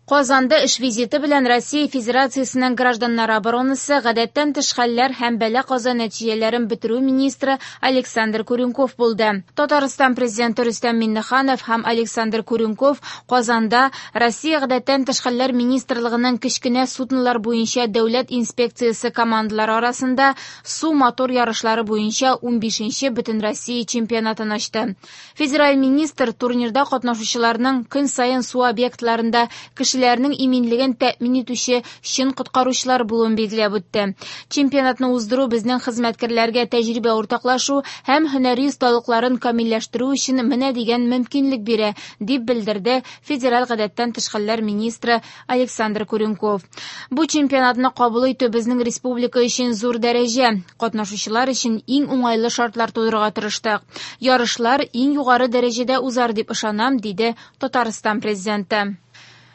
Казанда эш визиты белән Россия Федерациясенең гражданнар оборонасы, гадәттән тыш хәлләр һәм бәла-каза нәтиҗәләрен бетерү министры Александр Куренков булды. Татарстан Президенты Рөстәм Миңнеханов һәм Александр Куренков Казанда Россия гадәттән тыш хәлләр министрлыгының кечкенә суднолар буенча дәүләт инспекциясе командалары арасында су мотор ярышлары буенча 15нче Бөтенроссия чемпионатын ачты. Федераль министр турнирда катнашучыларның көн саен су объектларында кешеләрнең иминлеген тәэмин итүче чын коткаручылар булуын билгеләп үтте. Чемпионатны уздыру безнең хезмәткәрләргә тәҗрибә уртаклашу һәм һөнәри осталыкларын камилләштерү өчен менә дигән мөмкинлек бирә, дип белдерде федераль гадәттән тыш хәлләр министры Александр Куренков. Бу чемпионатны кабул итү безнең республика өчен зур дәрәҗә. Катнашучылар өчен иң уңайлы шартлар тудырырга тырыштык. Ярышлар иң югары дәрәҗәдә узар дип ышанам, диде Татарстан президенты.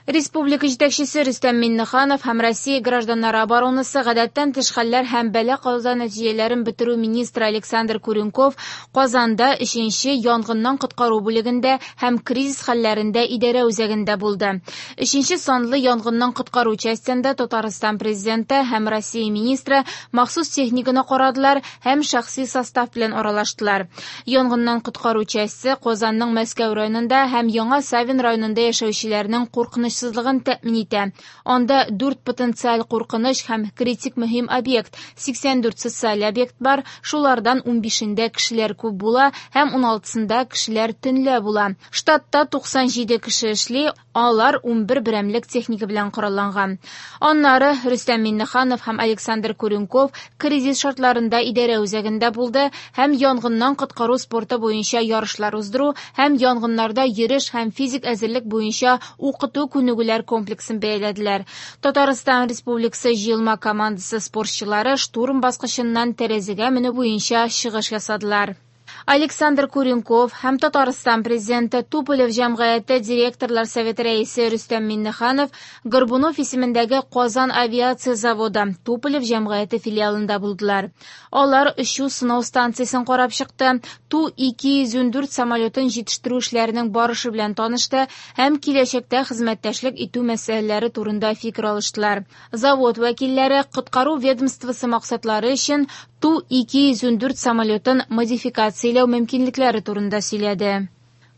Республика җитәкчесе Рөстәм Миңнеханов һәм Россия гражданнары оборонасы, гадәттән тыш хәлләр һәм бәла-каза нәтиҗәләрен бетерү министры Александр Куренков Казанда 3нче янгыннан коткару бүлегендә һәм кризис хәлләрендә идарә үзәгендә булды. 3нче санлы янгыннан коткару частендә Татарстан президенты һәм Россия министры махсус техниканы карадылар һәм шәхси состав белән аралаштылар. Янгыннан коткару часте Казанның Мәскәү районында һәм Яңа Савин районында яшәүчеләрнең куркынычсызлыгын тәэмин итә. Анда 4 потенциаль куркыныч һәм критик мөһим объект, 84 социаль объект бар, шулардан 15-ндә кешеләр күп була һәм 16-сында кешеләр төнлә була. Штатта 97 кеше эшли, алар 11 берәмлек техника белән коралланган. Аннары Рөстәм Миңнеханов һәм Александр Куренков кризис шартларында идарә үзәгендә булды һәм янгыннан коткару спорты буенча ярышлар уздыру һәм янгыннарда йөреш һәм физик әзерлек буенча укыту күнегүләр комплексын бәяләделәр. Татарстан Республикасы җыелма командасы спортчылары штурм баскычыннан тәрәзәгә менү буенча чыгыш ясадылар. Александр Куренков һәм Татарстан президенты Туполев җәмгыяте директорлар советы рәисе Рөстәм Миңнеханов Горбунов исемендәге Казан авиация заводы Туполев җәмгыяте филиалында булдылар. Алар очу сынау станциясен карап чыкты, Ту-214 самолетын җитештерү эшләренең барышы белән танышты һәм киләчәктә хезмәттәшлек итү мәсьәләләре турында фикер алыштылар. Завод вәкилләре коткару ведомствосы максатлары өчен Ту-214 самолетын модификацияләү мөмкинлекләре турында сөйләде.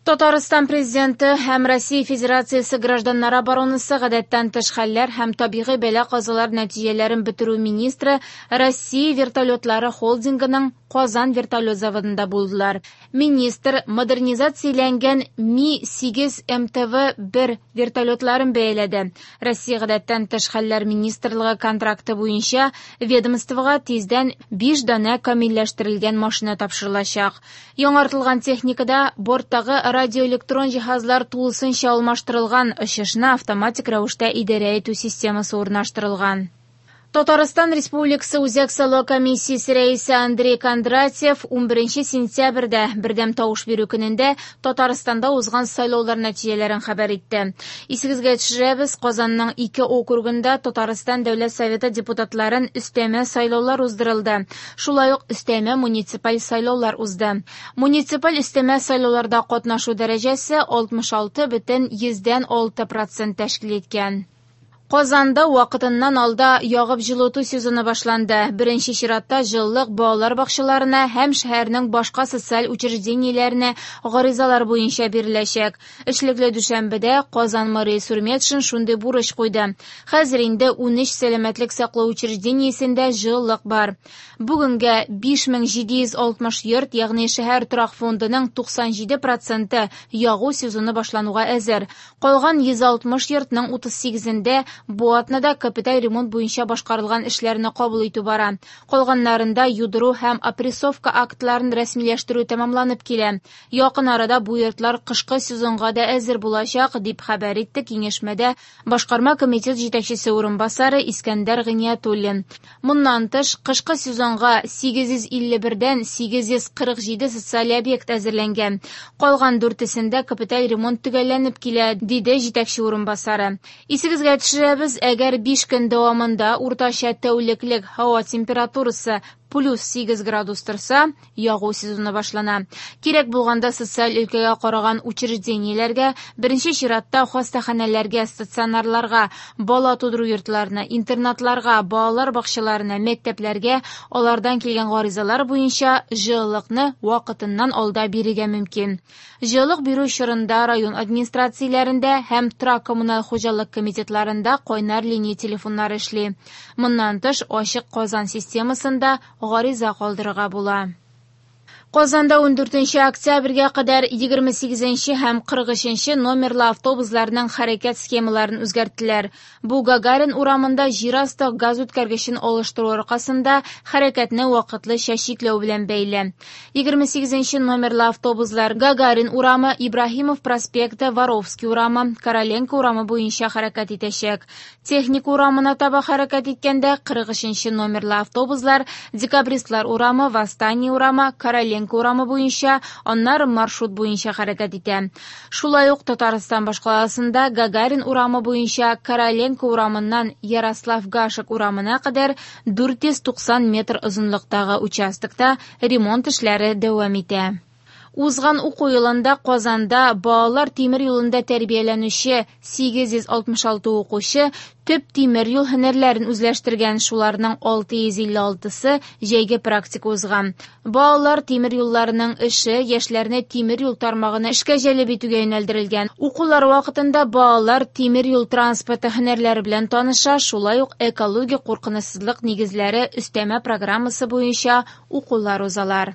Татарстан президенты һәм Россия Федерациясе гражданнар оборонасы, гадәттән тыш хәлләр һәм табигый бәла-казалар нәтиҗәләрен бетерү министры Россия вертолетлары холдингының Казан вертолет заводында булдылар. Министр модернизацияләнгән Ми-8 МТВ-1 вертолетларын бәяләде. Россия гадәттән тыш хәлләр министрлыгы контракты буенча ведомствога тиздән 5 данә камилләштерелгән машина тапшырылачак. Яңартылган техникада борттагы радиоэлектрон җиһазлар тулысынча алмаштырылган, очышны автоматик рәвештә идарә итү системасы урнаштырылган. Татарстан Республикасы Үзәк сайлау комиссиясе рәисе Андрей Кондратьев 11 сентябрьдә бердәм тавыш бирү көнендә Татарстанда узган сайлаулар нәтиҗәләрен хәбәр итте. Исегезгә төшерәбез, Казанның ике округында Татарстан Дәүләт Советы депутатларын өстәмә сайлаулар уздырылды. Шулай ук өстәмә муниципаль сайлаулар узды. Муниципаль өстәмә сайлауларда катнашу дәрәҗәсе 66,6 процент тәшкил иткән. Казанда вакытыннан алда ягып җылыту сезоны башланды. Беренче чиратта җылылык балалар бакчаларына һәм шәһәрнең башка социаль учреждениеләренә гаризалар буенча биреләчәк. Эшлекле дүшәмбедә Казан мэры Илсур Метшин шундый бурыч куйды. Хәзер инде 13 сәламәтлек саклау учреждениесендә җылылык бар. Бүгенгә 5760 йорт, ягъни шәһәр торак фондының 97 проценты ягу сезоны башлануга әзер. Калган 160 йортның 38-ендә бу атнада капиталь ремонт буенча башкарылган эшләрне кабул итү бара. Калганнарында юдыру һәм опрессовка актларын рәсмиләштерү тәмамланып килә. Якын арада бу йортлар кышкы сезонга да әзер булачак, дип хәбәр итте киңәшмәдә башкарма комитет җитәкчесе урынбасары Искәндәр Гыйниятуллин. Моннан тыш, кышкы сезонга 851-дән 847 социаль объект әзерләнгән. Калган дүртесендә капиталь ремонт төгәлләнеп килә, диде җитәкче урынбасары. Исегезгә төшерәбез, әгәр 5 көн дәвамында уртача тәүлеклек һава температурасы плюс 8 градус торса, ягу сезоны башлана. Кирәк булганда социаль өлкәгә караган учреждениеләргә, беренче чиратта хастаханәләргә, стационарларга, бала тудыру йортларына, интернатларга, балалар бакчаларына, мәктәпләргә алардан килгән гаризалар буенча җылылыкны вакытыннан алда бирергә мөмкин. Җылылык бирү чорында район администрацияләрендә һәм торак-коммуналь хуҗалык комитетларында кайнар линия телефоннары эшли. Моннан тыш, Ачык Казан системасында гариза калдырырга була. Казанда 14 октябрьгә кадәр 28 һәм 43 номерлы автобусларның хәрәкәт схемаларын үзгәрттеләр. Бу Гагарин урамында җир асты газ үткәргечен алыштыру аркасында хәрәкәтне вакытлыча чикләү белән бәйле. 28 номерлы автобуслар Гагарин урамы, Ибраһимов проспекты, Воровский урамы, Короленко урамы буенча хәрәкәт итәчәк. Техник урамына таба хәрәкәт иткәндә 43 номерлы автобуслар Декабристлар урамы, Восстание урамы, Короленко урамы буенча, аннары маршрут буенча хәрәкәт итә. Шулай ук Татарстан башкаласында Гагарин урамы буенча Короленко урамыннан Ярослав Гашек урамына кадәр 490 метр озынлыктагы участокта ремонт эшләре дәвам итә. Узган уку елында Казанда балалар тимер юлында тәрбияләнүче 866 укучы төп тимер юл һөнәрләрен үзләштергән, шуларның 656-сы җәйге практика узган. Балалар тимер юлларының эше яшьләрне тимер юл тармагына эшкә җәлеп итүгә юнәлдерелгән. Укулар вакытында балалар тимер юл транспорты һөнәрләре белән таныша, шулай ук экологик куркынычсызлык нигезләре өстәмә программасы буенча укулар узалар.